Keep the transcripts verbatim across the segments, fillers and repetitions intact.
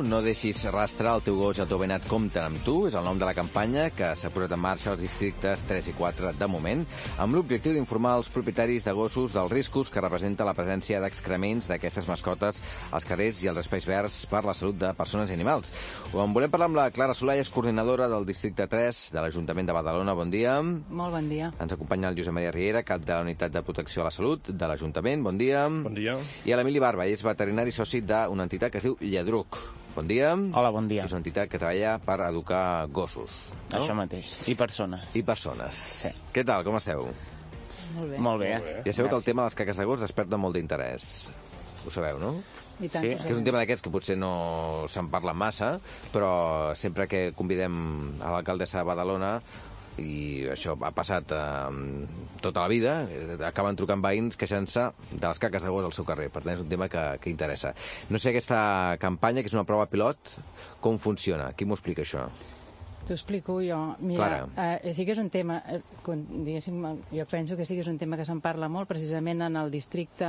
No deixis rastre, el teu gos i el teu veïnat compten amb tu. És el nom de la campanya que s'ha posat en marxa als districtes tres i quatre de moment, amb l'objectiu d'informar els propietaris de gossos dels riscos que representa la presència d'excrements d'aquestes mascotes als carrers i als espais verds per la salut de persones i animals. Ho en volem parlar amb la Clara Solà, és coordinadora del districte tres de l'Ajuntament de Badalona. Bon dia. Molt bon dia. Ens acompanya el Josep Maria Riera, cap de la Unitat de Protecció a la Salut de l'Ajuntament. Bon dia. Bon dia. I l'Emili Barba, és veterinari soci d'una entitat que es diu Lladruc. Bon dia. Hola, bon dia. És una entitat que treballa per educar gossos, no? Això mateix. I persones. I persones. Sí. Què tal, com esteu? Molt bé. Molt bé. Molt bé. Ja sabeu que el tema de les caques de gos desperta molt d'interès. Ho sabeu, no? I tant, Sí. que Que és un tema d'aquests que potser no se'n parla massa, però sempre que convidem a l'alcaldessa de Badalona, i això ha passat eh, tota la vida, eh, acaben trucant veïns queixant-se de les caques de gos al seu carrer. Per tant, és un tema que, que interessa. No sé aquesta campanya, que és una prova pilot, com funciona? Qui m'ho explica, això? T'ho explico jo. Mira, eh, sí que és un tema, eh, diguéssim, jo penso que sí que és un tema que se'n parla molt, precisament en el districte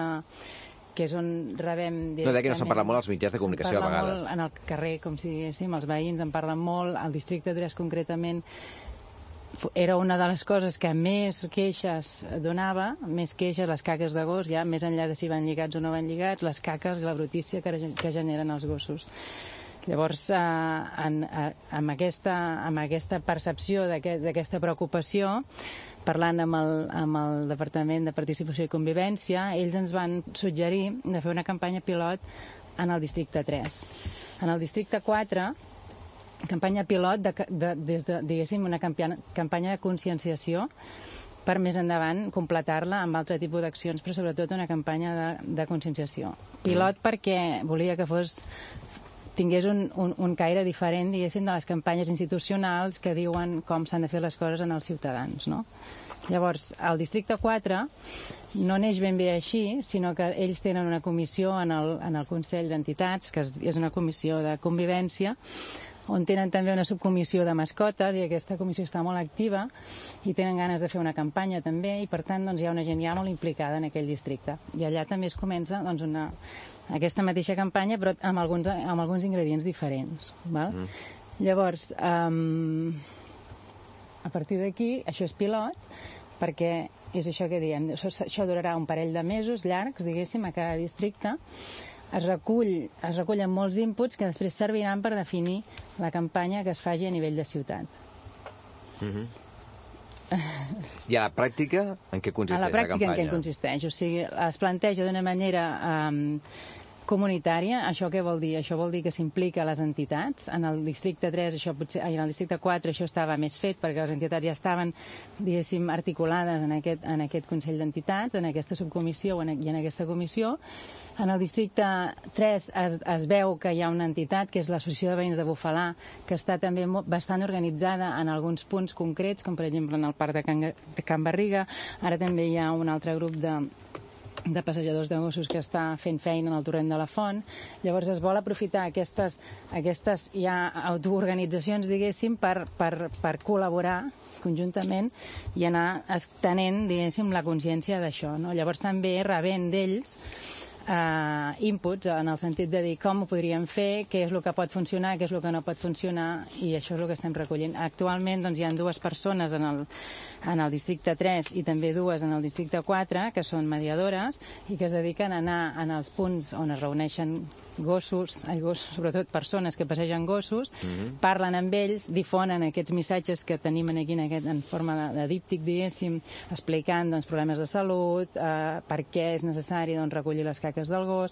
que és on rebem directament... No, deia que no se'n parla molt als mitjans de comunicació a vegades. Molt en el carrer, com si diguéssim, els veïns en parlen molt, al districte tres concretament era una de les coses que més queixes donava, més queixes, les caques de gos, ja més enllà de si van lligats o no van lligats, les caques i la brutícia que, que generen els gossos. Llavors, eh, en, eh, amb, aquesta, amb aquesta percepció d'aquesta preocupació, parlant amb el, amb el Departament de Participació i Convivència, ells ens van suggerir de fer una campanya pilot en el districte tres. En el districte quatre, campanya pilot de, de, des de, diguéssim, una campanya, campanya de conscienciació per més endavant completar-la amb altre tipus d'accions, però sobretot una campanya de, de conscienciació. Pilot mm. perquè volia que fos tingués un, un, un caire diferent, diguéssim, de les campanyes institucionals que diuen com s'han de fer les coses en els ciutadans, no? Llavors, el districte quatre no neix ben bé així, sinó que ells tenen una comissió en el, en el Consell d'Entitats, que és, és una comissió de convivència, on tenen també una subcomissió de mascotes, i aquesta comissió està molt activa i tenen ganes de fer una campanya també, i per tant doncs, hi ha una gent ja molt implicada en aquell districte. I allà també es comença doncs, una, aquesta mateixa campanya, però amb alguns, amb alguns ingredients diferents. Val? Mm. Llavors, um, a partir d'aquí, això és pilot, perquè és això que diem, això, això durarà un parell de mesos llargs, diguéssim, a cada districte. Es recull, es recullen molts inputs que després serviran per definir la campanya que es faci a nivell de ciutat. Mm-hmm. I a la pràctica, en què consisteix la campanya? A la pràctica, en què consisteix? O sigui, es planteja d'una manera um, comunitària. Això què vol dir? Això vol dir que s'implica les entitats. En el districte tres, això potser, en el districte quatre això estava més fet, perquè les entitats ja estaven, diguéssim, articulades en aquest, en aquest Consell d'Entitats, en aquesta subcomissió i en aquesta comissió. En el districte tres es, es veu que hi ha una entitat, que és l'Associació de Veïns de Bufalà, que està també bastant organitzada en alguns punts concrets, com per exemple en el Parc de Can, de Can Barriga. Ara també hi ha un altre grup de, de passejadors de gossos que està fent feina en el torrent de la Font. Llavors es vol aprofitar aquestes, aquestes ja autoorganitzacions, diguéssim, per, per, per col·laborar conjuntament i anar estenent, diguéssim, la consciència d'això, no? Llavors també rebent d'ells Uh, inputs en el sentit de dir com ho podríem fer, què és el que pot funcionar, què és el que no pot funcionar, i això és el que estem recollint. Actualment doncs, hi ha dues persones en el, en el districte tres i també dues en el districte quatre que són mediadores i que es dediquen a anar en els punts on es reuneixen gossos, ai, gossos, sobretot persones que passegen gossos, mm-hmm. parlen amb ells, difonen aquests missatges que tenim aquí en, aquest, en forma de, de díptic, diguéssim, explicant doncs, problemes de salut, eh, per què és necessari doncs, recollir les caques del gos,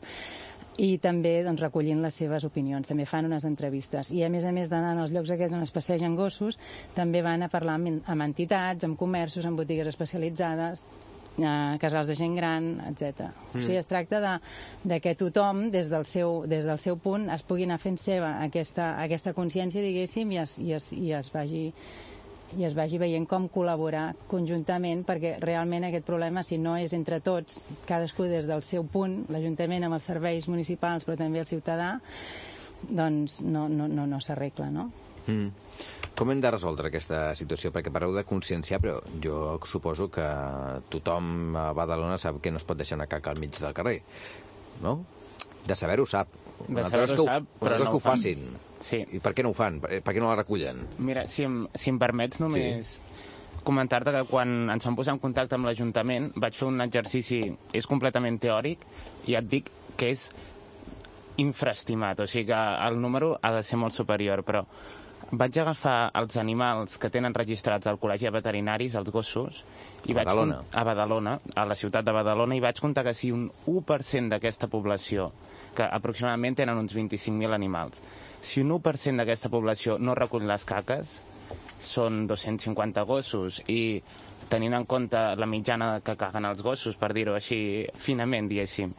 i també doncs, recollint les seves opinions. També fan unes entrevistes. I a més a més d'anar als llocs aquests on es passegen gossos, també van a parlar amb, amb entitats, amb comerços, amb botigues especialitzades, eh, casals de gent gran, etcètera. Mm. O sigui, es tracta de, de que tothom, des del, seu, des del seu punt, es pugui anar fent seva aquesta, aquesta consciència, diguéssim, i es, i es, i es vagi i es vagi veient com col·laborar conjuntament, perquè realment aquest problema, si no és entre tots, cadascú des del seu punt, l'Ajuntament amb els serveis municipals, però també el ciutadà, doncs no, no, no, no s'arregla, no? Mm. Com hem de resoldre aquesta situació? Perquè parleu de conscienciar, però jo suposo que tothom a Badalona sap que no es pot deixar una caca al mig del carrer, no? De saber-ho sap, Una altra cosa que, ho, una cosa no que ho facin. Sí. I per què no ho fan? Per, per què no la recullen? Mira, si em, si em permets només sí. comentar-te que quan ens vam posar en contacte amb l'Ajuntament vaig fer un exercici, és completament teòric, i et dic que és infraestimat, o sigui que el número ha de ser molt superior, però vaig agafar els animals que tenen registrats al Col·legi de Veterinaris, els gossos, i a Badalona. Vaig, a Badalona, a la ciutat de Badalona, i vaig comptar que si un u per cent d'aquesta població, que aproximadament tenen uns vint-i-cinc mil animals, si un u per cent d'aquesta població no recull les caques, són dos-cents cinquanta gossos, i tenint en compte la mitjana que caguen els gossos, per dir-ho així finament, diguéssim,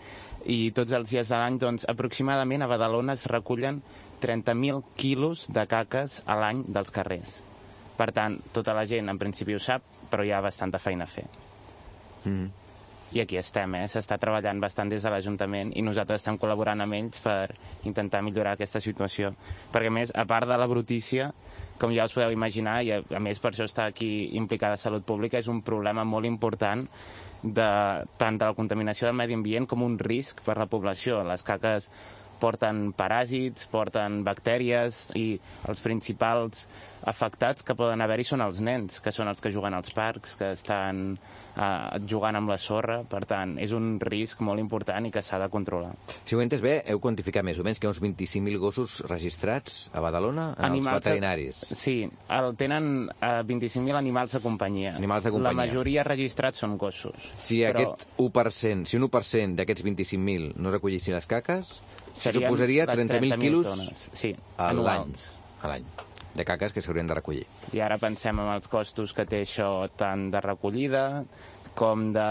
i tots els dies de l'any, doncs, aproximadament a Badalona es recullen trenta mil quilos de caques a l'any dels carrers. Per tant, tota la gent en principi ho sap, però hi ha bastanta feina a fer. Mm. I aquí estem, eh? S'està treballant bastant des de l'Ajuntament i nosaltres estem col·laborant amb ells per intentar millorar aquesta situació. Perquè, a més, a part de la brutícia, com ja us podeu imaginar, i a, a més per això està aquí implicada Salut Pública, és un problema molt important de, tant de la contaminació del medi ambient com un risc per la població. Les caques porten paràsits, porten bactèries, i els principals afectats que poden haver-hi són els nens, que són els que juguen als parcs, que estan eh, jugant amb la sorra. Per tant, és un risc molt important i que s'ha de controlar. Si ho he entès bé, heu quantificat més o menys que hi ha uns vint-i-cinc mil gossos registrats a Badalona en animals els veterinaris. A... Sí, el, tenen eh, vint-i-cinc mil animals de companyia. Animals de companyia. La majoria registrats són gossos. Si però... aquest u per cent, si un u per cent d'aquests vint-i-cinc mil no recollissin les caques, suposaria trenta mil quilos sí, a l'any. anuals. A l'any. De caques que s'haurien de recollir. I ara pensem en els costos que té això, tant de recollida com de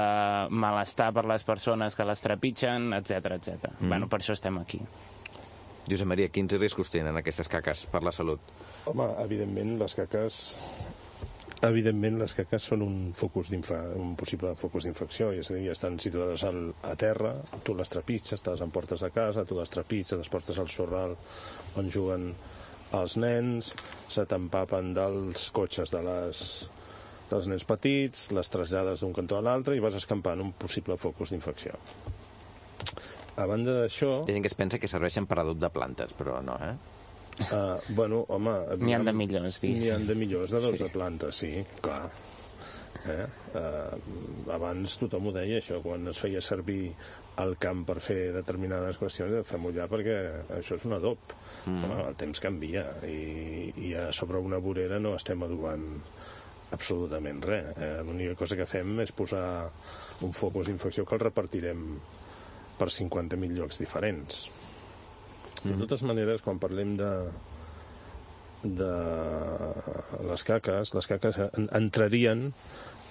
malestar per les persones que les trepitgen, etcètera, etcètera. Mm. Bueno, per això estem aquí. Josep Maria, quins riscos tenen aquestes caques per la salut? Home, evidentment les caques evidentment les caques són un focus un possible focus d'infecció, és a dir, estan situades al, a terra, tu les trepitges, te les emportes a casa, tu les trepitges, les portes al sorral on juguen els nens, se t'empapen dels cotxes de les, dels nens petits, les trasllades d'un cantó a l'altre i vas escampant un possible focus d'infecció. A banda d'això... Hi ha gent que es pensa que serveixen per adob de plantes, però no, eh? Uh, bueno, home... N'hi ha de millors, digues. N'hi ha de millors d'adob sí. de plantes, sí, clar. Eh? Uh, abans tothom ho deia, això, quan es feia servir el camp per fer determinades qüestions, fem-ho ja perquè això és un adob. Mm. Home, el temps canvia i, i a sobre una vorera no estem adobant absolutament res. Eh? L'única cosa que fem és posar un focus d'infecció que el repartirem per cinquanta mil llocs diferents. Mm. De totes maneres, quan parlem de de les caques, les caques entrarien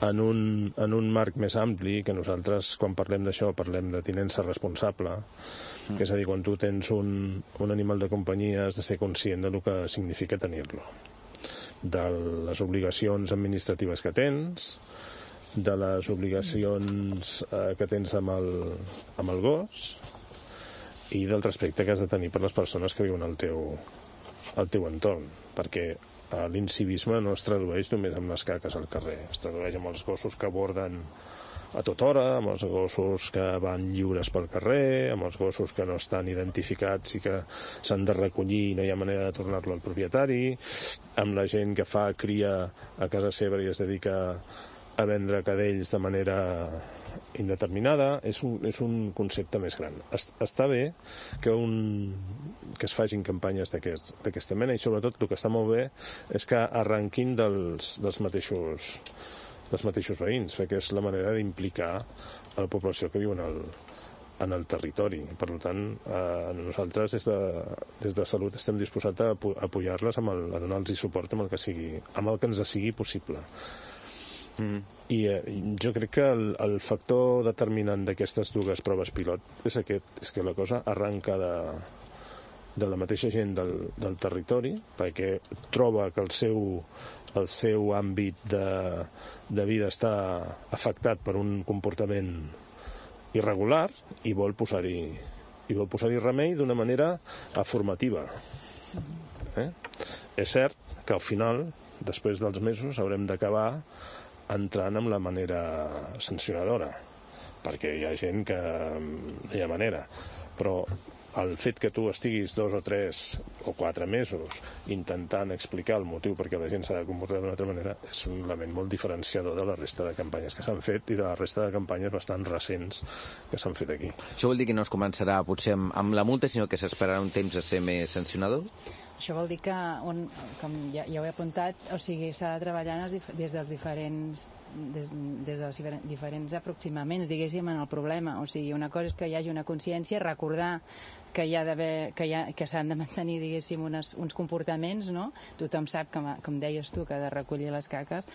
en un, en un marc més ampli, que nosaltres, quan parlem d'això, parlem de tinença responsable, mm. que és a dir, quan tu tens un, un animal de companyia has de ser conscient del que significa tenir-lo, de les obligacions administratives que tens, de les obligacions eh, que tens amb el, amb el gos i del respecte que has de tenir per les persones que viuen al teu, al teu entorn, perquè l'incivisme no es tradueix només amb les caques al carrer, es tradueix amb els gossos que borden a tota hora, amb els gossos que van lliures pel carrer, amb els gossos que no estan identificats i que s'han de recollir i no hi ha manera de tornar-lo al propietari, amb la gent que fa cria a casa seva i es dedica a vendre cadells de manera indeterminada. És un, és un concepte més gran. Està bé que, un, que es facin campanyes d'aquesta mena i sobretot el que està molt bé és que arrenquin dels, dels, mateixos, dels mateixos veïns, perquè és la manera d'implicar a la població que viu en el, en el territori. Per tant, eh, nosaltres des de, des de Salut estem disposats a apoyar-les, amb el, a donar-los suport amb el que sigui, amb el que ens sigui possible. Mm. I eh, jo crec que el, el factor determinant d'aquestes dues proves pilot és aquest, és que la cosa arranca de, de la mateixa gent del, del territori, perquè troba que el seu, el seu àmbit de, de vida està afectat per un comportament irregular i vol posar-hi i vol posar-hi remei d'una manera formativa. Eh? És cert que al final, després dels mesos, haurem d'acabar entrant amb la manera sancionadora, perquè hi ha gent que no hi ha manera, però el fet que tu estiguis dos o tres o quatre mesos intentant explicar el motiu perquè la gent s'ha de comportar d'una altra manera és un element molt diferenciador de la resta de campanyes que s'han fet i de la resta de campanyes bastant recents que s'han fet aquí. Això vol dir que no es començarà potser amb, amb la multa, sinó que s'esperarà un temps a ser més sancionador? Això vol dir que, un, com ja, ja ho he apuntat, o sigui, s'ha de treballar des dels diferents des, des dels diferents aproximaments, diguéssim, en el problema. O sigui, una cosa és que hi hagi una consciència, recordar que hi ha d'haver, que, que s'han de mantenir, diguéssim, unes, uns comportaments, no? Tothom sap, com, com deies tu, que ha de recollir les caques,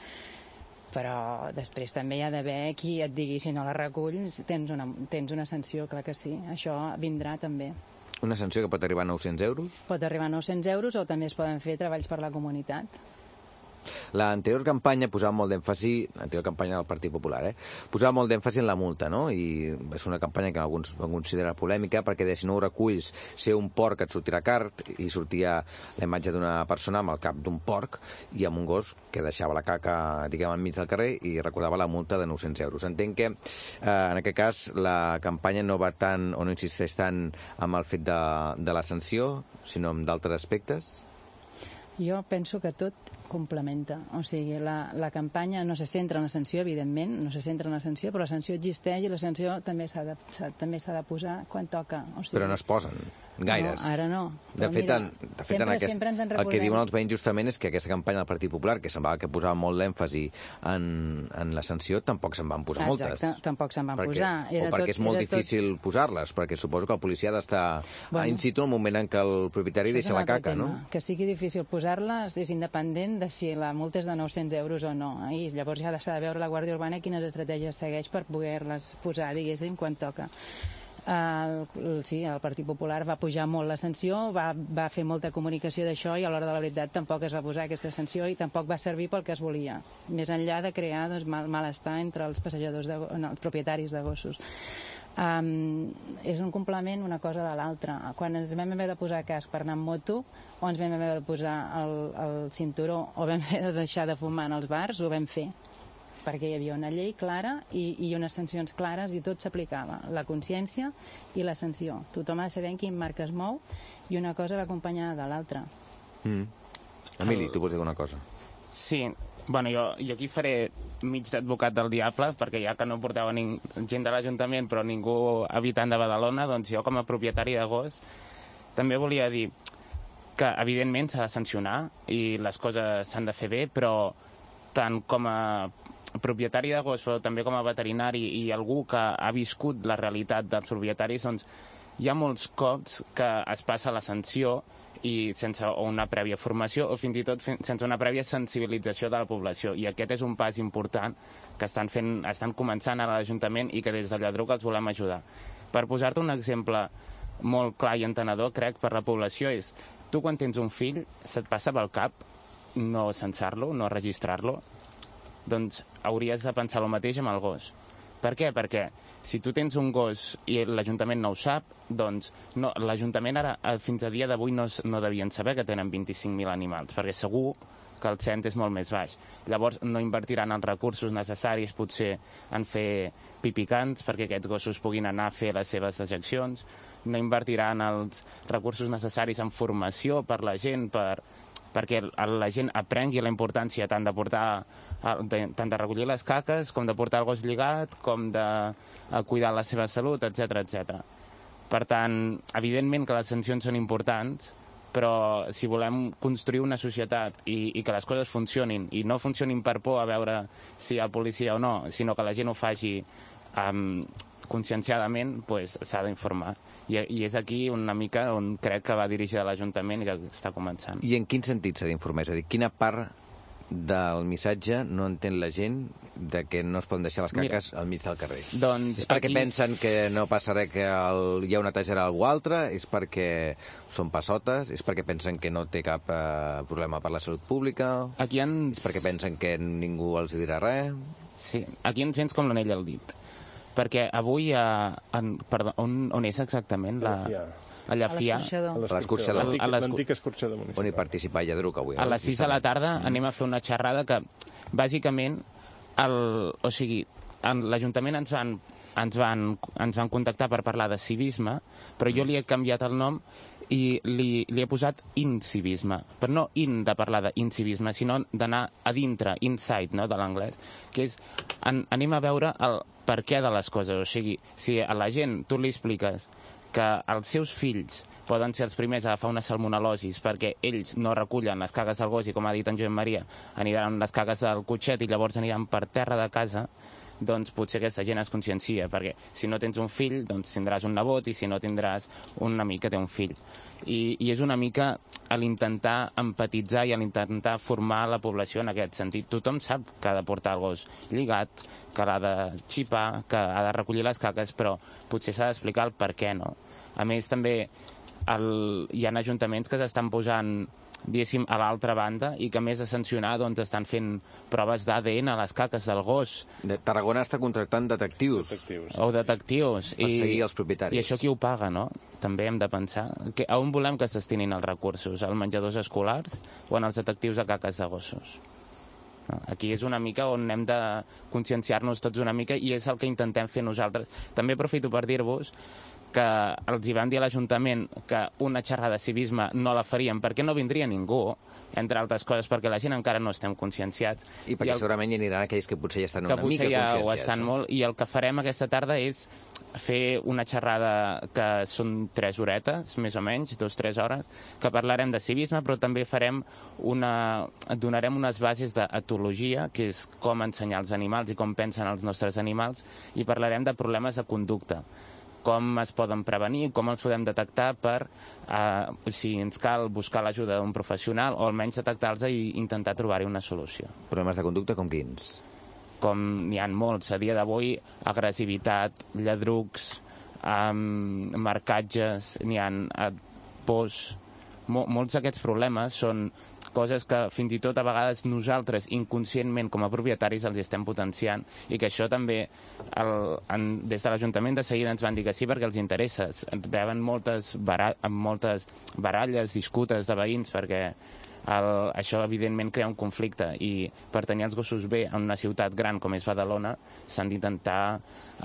però després també hi ha d'haver qui et digui si no la reculls tens una, tens una sanció, clar que sí. Això vindrà també. Una sanció que pot arribar a nou-cents euros? Pot arribar a nou-cents euros o també es poden fer treballs per la comunitat. L'anterior campanya posava molt d'èmfasi, l'anterior campanya del Partit Popular, eh? posava molt d'èmfasi en la multa, no? I és una campanya que alguns van considerar polèmica perquè de si no ho reculls, ser un porc et sortirà car, i sortia la imatge d'una persona amb el cap d'un porc i amb un gos que deixava la caca, diguem, enmig del carrer i recordava la multa de nou-cents euros. Entenc que, eh, en aquest cas, la campanya no va tant, o no insisteix tant amb el fet de, de la sanció, sinó amb d'altres aspectes? Jo penso que tot complementa. O sigui, la, la campanya no se centra en la sanció, evidentment, no se centra en la sanció, però la sanció existeix i la sanció també s'ha de, també s'ha de posar quan toca. O sigui, però no es posen gaires. No, ara no. De fet, mira, en, de fet sempre, en aquest, sempre el que diuen els veïns justament és que aquesta campanya del Partit Popular, que semblava que posava molt l'èmfasi en, en la sanció, tampoc se'n van posar Exacte, moltes. tampoc se'n van perquè, posar. Era o perquè tot, és molt difícil tot... posar-les, perquè suposo que el policia ha d'estar bueno, in situ al moment en què el propietari deixa la caca, tema. no? Que sigui difícil posar-les és independent de si la multa és de nou-cents euros o no. I llavors ja s'ha de veure la Guàrdia Urbana quines estratègies segueix per poder-les posar, diguéssim, quan toca. El, el, sí, el Partit Popular va pujar molt la sanció, va, va fer molta comunicació d'això i a l'hora de la veritat tampoc es va posar aquesta sanció i tampoc va servir pel que es volia, més enllà de crear doncs, mal, malestar entre els passejadors, de, no, els propietaris de gossos. Um, és un complement una cosa de l'altra. Quan ens vam haver de posar casc per anar amb moto o ens vam haver de posar el, el cinturó o vam haver de deixar de fumar en els bars, ho vam fer perquè hi havia una llei clara i, i unes sancions clares i tot s'aplicava, la consciència i la sanció. Tothom ha de saber en quin marc es mou i una cosa va acompanyada de l'altra. Mm. Emili, tu vols dir una cosa? Sí, bueno, jo, jo aquí faré mig d'advocat del diable, perquè ja que no portava ning... gent de l'Ajuntament però ningú habitant de Badalona, doncs jo com a propietari de gos també volia dir que evidentment s'ha de sancionar i les coses s'han de fer bé, però tant com a propietari de gos, però també com a veterinari i algú que ha viscut la realitat dels propietaris, doncs hi ha molts cops que es passa la sanció i sense una prèvia formació o fins i tot sense una prèvia sensibilització de la població. I aquest és un pas important que estan, fent, estan començant a l'Ajuntament i que des de Lladruc els volem ajudar. Per posar-te un exemple molt clar i entenedor, crec, per la població és tu quan tens un fill se't passa pel cap no censar-lo, no registrar-lo, doncs hauries de pensar el mateix amb el gos. Per què? Perquè si tu tens un gos i l'Ajuntament no ho sap, doncs no, l'Ajuntament ara, fins a dia d'avui, no, no devien saber que tenen vint-i-cinc mil animals, perquè segur que el cens és molt més baix. Llavors no invertiran els recursos necessaris potser en fer pipicants perquè aquests gossos puguin anar a fer les seves dejeccions, no invertiran els recursos necessaris en formació per la gent, per perquè la gent aprengui la importància tant de portar, tant de recollir les caques, com de portar el gos lligat, com de cuidar la seva salut, etcètera, etcètera. Per tant, evidentment que les sancions són importants, però si volem construir una societat i, i que les coses funcionin, i no funcionin per por a veure si hi ha policia o no, sinó que la gent ho faci um, conscienciadament, pues, s'ha d'informar. I, I és aquí una mica on crec que va dirigir l'Ajuntament i que està començant. I en quin sentit s'ha d'informar? És a dir, quina part del missatge no entén la gent de que no es poden deixar les caques Mira, al mig del carrer? Doncs és perquè aquí... pensen que no passa res, que el... hi ha una netejarà algú altre? És perquè són passotes? És perquè pensen que no té cap eh, problema per la salut pública? Aquí ens... És perquè pensen que ningú els dirà res? Sí, aquí ens vens com l'anell al dit. Perquè avui, a, en, perdó, on, on és exactament? La, a Llafià. A l'escorxador. L'antic escorxador municipal. On hi participa Lladruc avui. A les sis de la tarda mm. anem a fer una xerrada que, bàsicament, el, o sigui, l'Ajuntament ens van ens van, ens van contactar per parlar de civisme, però jo li he canviat el nom i li, li he posat incivisme, però no in de parlar d'incivisme, sinó d'anar a dintre, inside, no?, de l'anglès, que és, an, anem a veure el per què de les coses. O sigui, si a la gent tu li expliques que els seus fills poden ser els primers a agafar una salmonel·losis perquè ells no recullen les cagues del gos i, com ha dit en Joan Maria, aniran les cagues del cotxet i llavors aniran per terra de casa, doncs potser aquesta gent es consciencia, perquè si no tens un fill, doncs tindràs un nebot, i si no tindràs un amic que té un fill. I, i és una mica a l'intentar empatitzar i a l'intentar formar la població en aquest sentit. Tothom sap que ha de portar el gos lligat, que l'ha de xipar, que ha de recollir les caques, però potser s'ha d'explicar el per què, no? A més, també el, hi ha ajuntaments que s'estan posant, diguéssim, a l'altra banda i que, a més de sancionar, doncs estan fent proves d'A D N a les caques del gos. De Tarragona està contractant detectius. Detectius. O detectius. Per seguir els propietaris. I això qui ho paga, no? També hem de pensar. Que, a on volem que es destinin els recursos? Als menjadors escolars o en els detectius de caques de gossos? No, aquí és una mica on hem de conscienciar-nos tots una mica i és el que intentem fer nosaltres. També aprofito per dir-vos que els hi vam dir a l'Ajuntament que una xerrada de civisme no la faríem perquè no vindria ningú, entre altres coses perquè la gent encara no estem conscienciats. I perquè I el... segurament hi aniran aquells que potser ja estan una mica ja conscienciats. Ho estan no? molt, i el que farem aquesta tarda és fer una xerrada que són tres horetes, més o menys, dos, tres hores, que parlarem de civisme, però també farem una... donarem unes bases d'etologia, que és com ensenyar els animals i com pensen els nostres animals, i parlarem de problemes de conducta, com es poden prevenir, com els podem detectar per, eh, si ens cal, buscar l'ajuda d'un professional o almenys detectar-los i intentar trobar-hi una solució. Problemes de conducta com quins? Com n'hi ha molts. A dia d'avui, agressivitat, lladrucs, eh, marcatges, n'hi ha eh, pors... Mol, molts d'aquests problemes són coses que fins i tot a vegades nosaltres inconscientment com a propietaris els estem potenciant i que això també el, en, des de l'Ajuntament de seguida ens van dir que sí perquè els interessa. Reben moltes, bara, moltes baralles, disputes de veïns perquè el, això evidentment crea un conflicte i per tenir els gossos bé en una ciutat gran com és Badalona s'han d'intentar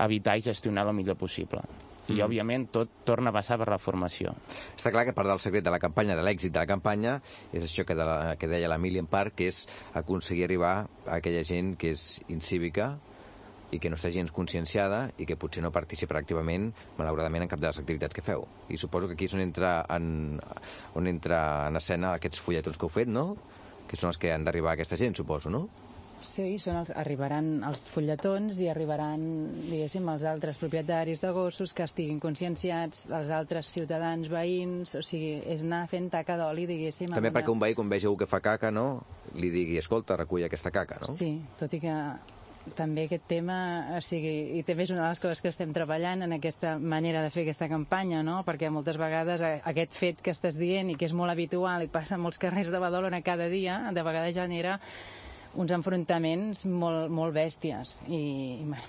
evitar i gestionar el millor possible. I, òbviament, tot torna a passar per la formació. Està clar que part del secret de la campanya, de l'èxit de la campanya, és això que, de la, que deia l'Emili en part, que és aconseguir arribar a aquella gent que és incívica i que no està gens conscienciada i que potser no participa activament, malauradament, en cap de les activitats que feu. I suposo que aquí és on entra en, on entra en escena aquests fulletons que heu fet, no? Que són els que han d'arribar a aquesta gent, suposo, no? Sí, són els, arribaran els fulletons i arribaran, diguéssim, els altres propietaris de gossos que estiguin conscienciats, els altres ciutadans, veïns, o sigui, és anar fent taca d'oli, diguéssim. També perquè un veí, quan vegi algú que fa caca, no?, li digui, escolta, recull aquesta caca, no? Sí, tot i que també aquest tema, o sigui, i també és una de les coses que estem treballant en aquesta manera de fer aquesta campanya, no?, perquè moltes vegades aquest fet que estàs dient i que és molt habitual i passa a molts carrers de Badalona cada dia, de vegades genera uns enfrontaments molt, molt bèsties i,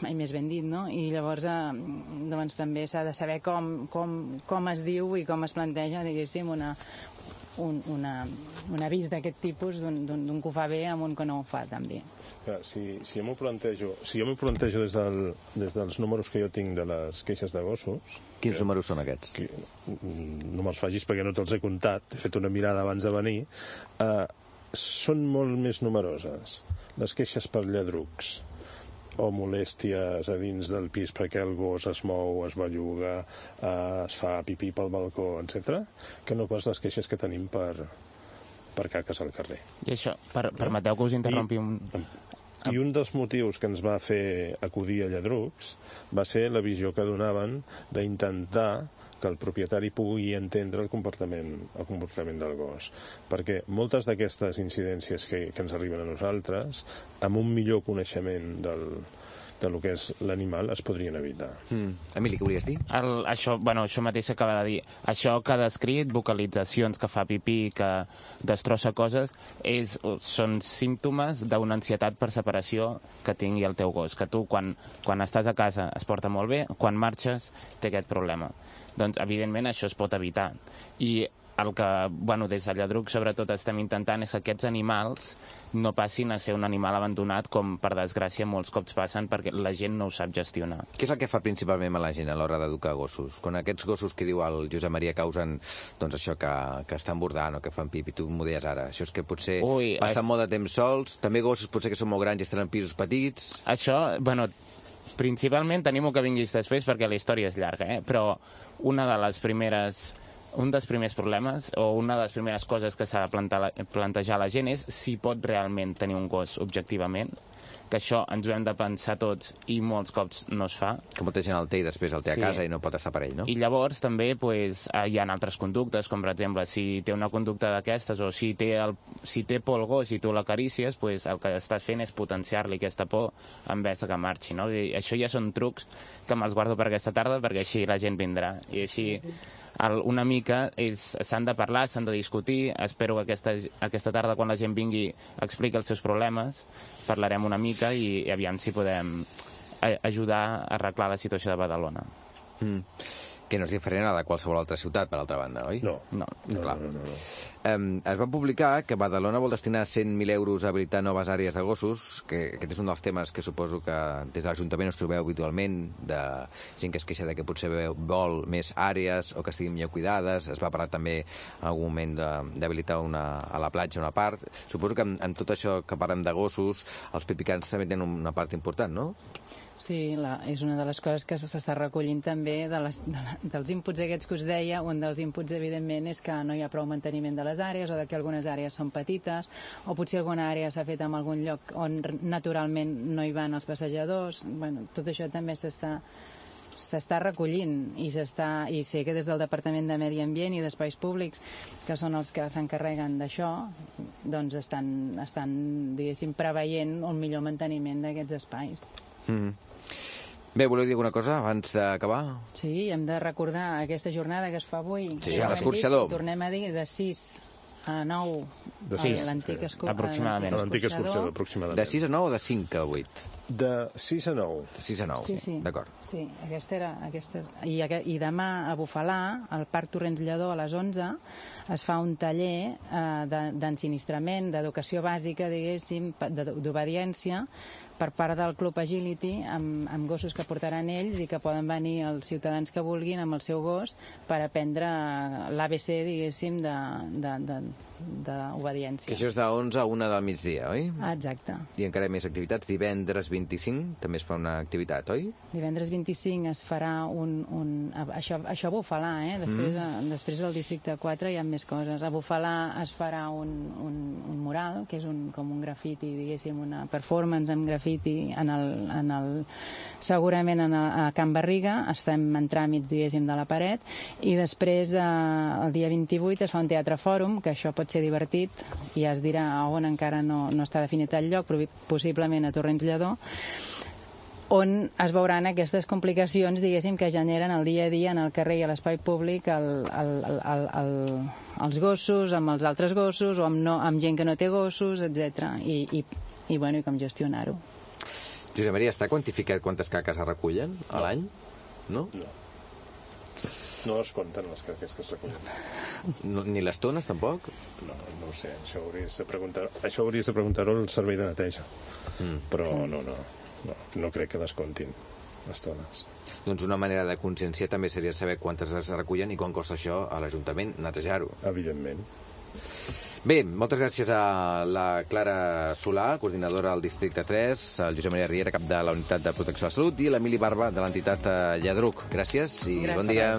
mai més ben dit, no? I llavors eh, doncs, també s'ha de saber com, com, com es diu i com es planteja, diguéssim, una, un, una, un avís d'aquest tipus d'un que ho fa bé amb un que no ho fa tan bé. Clar, si, si jo m'ho plantejo, si jo m'ho plantejo des, del, des dels números que jo tinc de les queixes de gossos... Quins que, números són aquests? Que, no me'ls facis perquè no te'ls he comptat, he fet una mirada abans de venir... Eh, són molt més numeroses les queixes per lladrucs o molèsties a dins del pis perquè el gos es mou, es belluga, eh, es fa pipí pel balcó, etcètera, que no pas les queixes que tenim per, per caques al carrer. I això, per, permeteu que us interrompi un... I un dels motius que ens va fer acudir a lladrucs va ser la visió que donaven d'intentar que el propietari pugui entendre el comportament, el comportament del gos. Perquè moltes d'aquestes incidències que, que ens arriben a nosaltres, amb un millor coneixement del, de lo que és l'animal, es podrien evitar. Mm. Emili, què volies dir? El, això, bueno, això mateix s'acaba de dir. Això que ha descrit, vocalitzacions, que fa pipí, que destrossa coses, és, són símptomes d'una ansietat per separació que tingui el teu gos. Que tu, quan, quan estàs a casa, es porta molt bé, quan marxes, té aquest problema. Doncs, evidentment, això es pot evitar. I el que, bueno, des de Lladruc sobretot estem intentant és que aquests animals no passin a ser un animal abandonat com per desgràcia molts cops passen perquè la gent no ho sap gestionar. Què és el que fa principalment la gent a l'hora d'educar gossos? Quan aquests gossos que diu el Josep Maria causen doncs això que, que estan bordant o que fan pipi, tu m'ho deies ara, això és que potser Ui, passen es... molt de temps sols, també gossos potser que són molt grans i estan en pisos petits... Això, bueno, principalment tenim que vinguis després perquè la història és llarga, eh? Però una de les primeres... Un dels primers problemes o una de les primeres coses que s'ha de plantar, plantejar a la gent és si pot realment tenir un gos objectivament, que això ens ho hem de pensar tots i molts cops no es fa. Que molta gent el té i després el té Sí. a casa i no pot estar per ell, no? I llavors també pues, hi ha altres conductes, com per exemple si té una conducta d'aquestes o si té, el, si té por el gos i tu l'acarícies, pues, el que estàs fent és potenciar-li aquesta por en vez de que marxi. No? I això ja són trucs que me'ls guardo per aquesta tarda perquè així la gent vindrà. I així el, una mica s'han de parlar, s'han de discutir. Espero que aquesta, aquesta tarda quan la gent vingui expliqui els seus problemes, parlarem una mica i, i aviam si podem ajudar a arreglar la situació de Badalona. Mm. Que no és diferent a la de qualsevol altra ciutat, per altra banda, oi? No. No. No, Clar. no, no, no. Um, es va publicar que Badalona vol destinar cent mil euros a habilitar noves àrees de gossos, que aquest és un dels temes que suposo que des de l'Ajuntament us trobeu habitualment, de gent que es queixa de que potser vol més àrees o que estiguin millor cuidades. Es va parlar també en algun moment d'habilitar una, a la platja una part. Suposo que en, en tot això que parlem de gossos, els pipicans també tenen una part important, no? Sí, la, és una de les coses que s'està recollint també de les, de la, dels inputs aquests que us deia. Un dels inputs, evidentment, és que no hi ha prou manteniment de les àrees o de que algunes àrees són petites o potser alguna àrea s'ha fet en algun lloc on naturalment no hi van els passejadors. Bueno, tot això també s'està s'està recollint i, s'està, i sé que des del Departament de Medi Ambient i d'Espais Públics, que són els que s'encarreguen d'això, doncs estan, estan diguéssim, preveient un millor manteniment d'aquests espais. Mm. Bé, voleu dir alguna cosa abans d'acabar? Sí, hem de recordar aquesta jornada que es fa avui. Sí, a l'escorxador. Tornem a dir de sis a nou De a sis, l'antic sí. escorxador. Aproximadament. A l'antic escorxador, aproximadament. De sis a nou o de cinc a vuit? De sis a nou. De sis a nou, Sí, sí. d'acord. Sí, aquesta era... Aquesta... I, I demà a Bufalà, al Parc Torrents Lledó, a les onze, es fa un taller eh, d'ensinistrament, d'educació bàsica, diguéssim, d'obediència, per part del Club Agility, amb, amb gossos que portaran ells i que poden venir els ciutadans que vulguin amb el seu gos per aprendre l'A B C, diguéssim, d'obediència. Que això és de onze a una del migdia, oi? Ah, exacte. I encara més activitats. Divendres vint-i-cinc també es fa una activitat, oi? Divendres vint-i-cinc es farà un... un això, això a Bufalà, eh? Després, mm. després al districte quatre hi ha més coses. A Bufalà es farà un, un, un mural, que és un, com un grafiti, diguéssim, una performance amb grafiti en el, en el, segurament en el, a Can Barriga, estem en tràmits, diguéssim, de la paret, i després eh, el dia vint-i-vuit es fa un teatre fòrum, que això pot ser divertit, i ja es dirà on encara no, no està definit el lloc, però possiblement a Torrents Lledó, on es veuran aquestes complicacions, diguéssim, que generen el dia a dia en el carrer i a l'espai públic el, el, el, el, el, els gossos, amb els altres gossos, o amb, no, amb gent que no té gossos, etcètera. I, i, i, bueno, i com gestionar-ho. Josep Maria, està quantificat quantes caques es recullen a No. l'any? No? No. No es compten les caques que es recullen. no? Ni les tones, tampoc? No, no ho sé, això hauries de preguntar, això hauries de preguntar-ho al servei de neteja. Mm. Però no, no, no, no crec que les comptin, les tones. Doncs una manera de conscienciar també seria saber quantes es recullen i quan costa això a l'Ajuntament, netejar-ho. Evidentment. Bé, moltes gràcies a la Clara Solà, coordinadora del districte tres, el Josep Maria Riera, cap de la Unitat de Protecció de la Salut, i l'Emili Barba, de l'entitat Lladruc. Gràcies i Gràcies. bon dia.